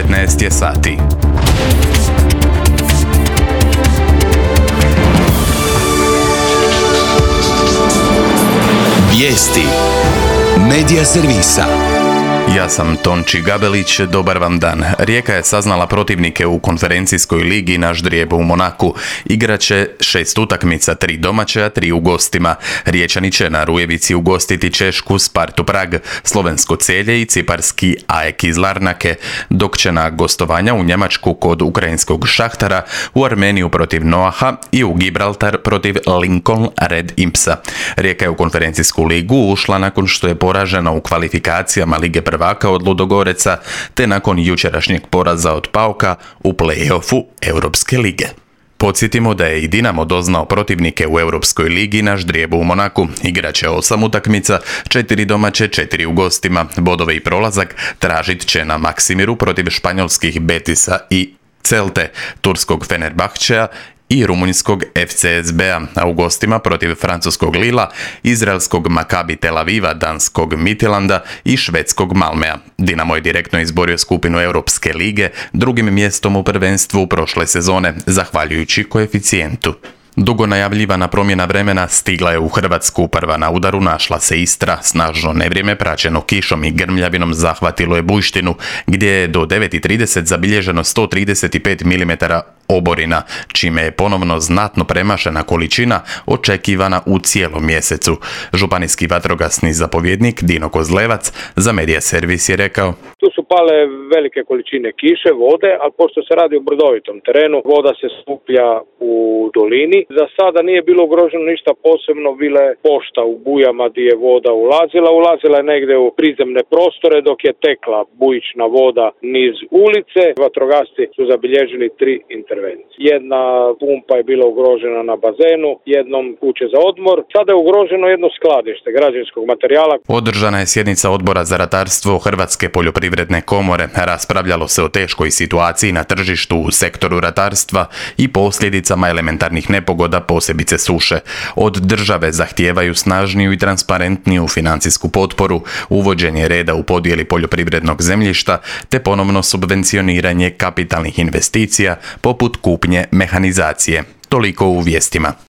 19 je sati. Vijesti Medija servisa. Ja sam Tonči Gabelić, dobar vam dan. Rijeka je saznala protivnike u konferencijskoj ligi na ždrijeb u Monaku. Igraće 6 utakmica, 3 domaće, a 3 u gostima. Riječani će na Rujevici ugostiti Češku Spartu Prag, slovensko Celje i ciparski AEK iz Larnake, dok će na gostovanja u Njemačku kod ukrajinskog Šahtara, u Armeniju protiv Noaha i u Gibraltar protiv Lincoln Red Impsa. Rijeka je u konferencijsku ligu ušla nakon što je poražena u kvalifikacijama Lige prvaka od Ludogoreca, te nakon jučerašnjeg poraza od PAOK-a u play-offu Europske lige. Podsjetimo da je i Dinamo doznao protivnike u Europskoj ligi na ždrijebu u Monaku. Igraće 8 utakmica, 4 domaće, 4 u gostima. Bodove i prolazak tražit će na Maksimiru protiv španjolskih Betisa i Celte, turskog Fenerbahčea i rumunjskog FCSB-a, a u gostima protiv francuskog Lila, izraelskog Maccabi Tel Aviva, danskog Midtjylanda i švedskog Malmea. Dinamo je direktno izborio skupinu Europske lige, drugim mjestom u prvenstvu prošle sezone, zahvaljujući koeficijentu. Dugo najavljivana promjena vremena stigla je u Hrvatsku. Prva na udaru našla se Istra. Snažno nevrijeme praćeno kišom i grmljavinom zahvatilo je Bujštinu, gdje je do 9:30 zabilježeno 135 mm oborina, čime je ponovno znatno premašena količina očekivana u cijelom mjesecu. Županijski vatrogasni zapovjednik Dino Kozlevac za Medija servis je rekao: Tu su pale velike količine kiše, vode, ali pošto se radi o brdovitom terenu, voda se skuplja u dolini. Za sada nije bilo ugroženo ništa posebno, bila je pošta u bujama gdje je voda ulazila je negdje u prizemne prostore dok je tekla bujična voda niz ulice. Vatrogasci su zabilježili 3 intervencije. Jedna pumpa je bila ugrožena na bazenu, jednom kuće za odmor. Sada je ugroženo jedno skladište građevinskog materijala. Održana je sjednica Odbora za ratarstvo Hrvatske poljoprivredne komore. Raspravljalo se o teškoj situaciji na tržištu u sektoru ratarstva i posljedicama elementarnih nepogoda, posebice suše. Od države zahtijevaju snažniju i transparentniju financijsku potporu, uvođenje reda u podjeli poljoprivrednog zemljišta te ponovno subvencioniranje kapitalnih investicija poput kupnje mehanizacije. Toliko u vijestima.